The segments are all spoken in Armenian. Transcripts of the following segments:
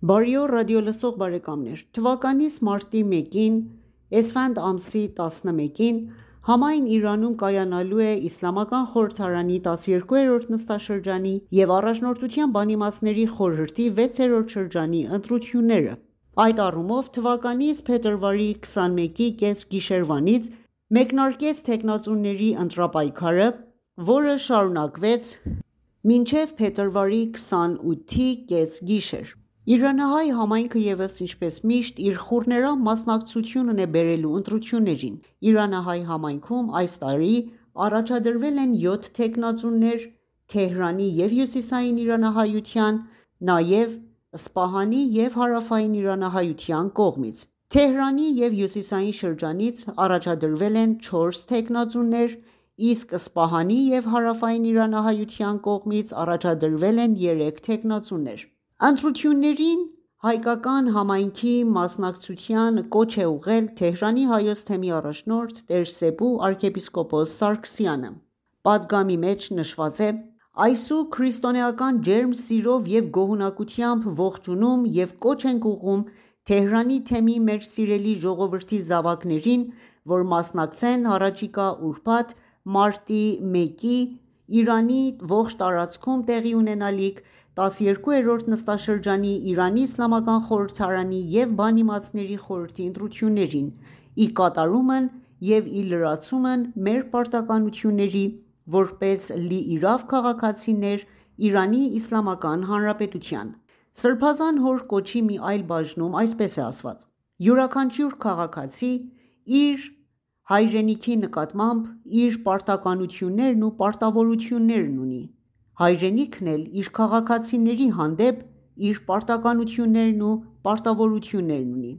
Բարի օր ռադիոլսող բարեկամներ: Թվականի մարտի 1-ին Էսֆանդ ամսի 11-ին համայն Իրանում կայանալու է Իսլամական խորհրդարանի 12-րդ նստաշրջանի և Առաջնորդության բանիմացների խորհրդի 6-րդ շրջանի ընտրությունները: Այդ առումով թվականի փետրվարի 21-ի կեսգիշերվանից մեկնարկեց թեկնածուների ընտրապայքարը, որը շարունակվեց մինչև փետրվարի 28-ի կեսգիշեր: Իրանահայ համայնքը ևս ինչպես միշտ իր խուռներամ մասնակցությունն է բերելու ընտրություններին: Իրանահայ համայնքում այս տարի առաջադրվել են 7 թեկնածուներ Թեհրանի և հյուսիսային իրանահայության, նաև Սպահանի և հարավային իրանահայության կողմից: Թեհրանի և հյուսիսային շրջանից առաջադրվել են 4 թեկնածուներ, իսկ Սպահանի և հարավային իրանահայության կողմից առաջադրվել են 3 թեկնածուներ: Ընտրություններին հայկական համայնքի մասնակցության կոչ է ուղղել Թեհրանի Հայոց թեմի առաջնորդ տեր-Սեբու arczepiskopos Սարգսյանը: Պատգամի մեջ նշված է. «Այսու քրիստոնեական ջերմ սիրով և գոհունակությամբ ողջունում և կոչ ենք ուղղում Թեհրանի թեմի մեր սիրելի ժողովրդի զավակներին, որ մասնակցեն հառաջիկա ուրբաթ մարտի 1-ի Իրանի ողջ տարածքում տեղի ունենալիք 12-րդ նստաշրջանի Իրանի Իսլամական խորհրդարանի և բանիմացների խորհրդի ընտրություններին, ի կատարումն և ի լրացումն մեր պարտականությունների որպես լիիրավ քաղաքացիներ Իրանի Իսլամական Հանրապետության»: Սրբազան հոր կոչի մի այլ բաժնում այսպես է ասված. «Յուրաքանչյուր քաղաքացի իր հայրենիքի նկատմամբ իր պարտականություններն ու պարտավորություններն ունի: Հայրենիքն էլ իր քաղաքացիների հանդեպ իր պարտականություններն ու պարտավորություններն ունի: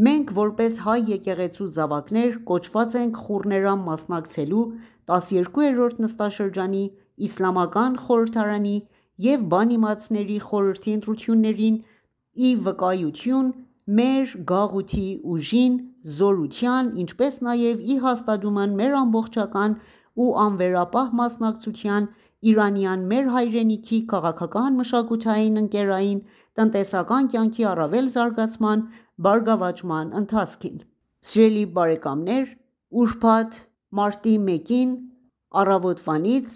Մենք որպես հայ եկեղեցու զավակներ կոչված ենք խուռներամ մասնակցելու 12-րդ նստաշրջանի Իսլամական խորհրդարանի և բանիմացների խորհրդի ընտրություններին ի վկայություն մեր գաղութի ուժին, զորության, ինչպես նաև ի հաստատումն մեր ամբողջական ու անվերապահ մասնակցության իրանյան մեր հայրենիքի քաղաքական, մշակութային, ընկերային, տնտեսական կյանքի առավել զարգացման, բարգավաճման ընթացքին»: Սիրելի բարեկամներ ուրբաթ մարտի 1-ին առավոտվանից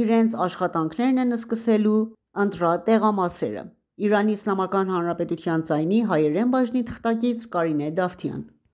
իրենց աշխատանքներն են սկսելու ընտրատեղամասերը: Իրանի Իսլամական Հանրապետության ձայնի հայերեն բաժնի թղթակից Կարինե Դավթյան: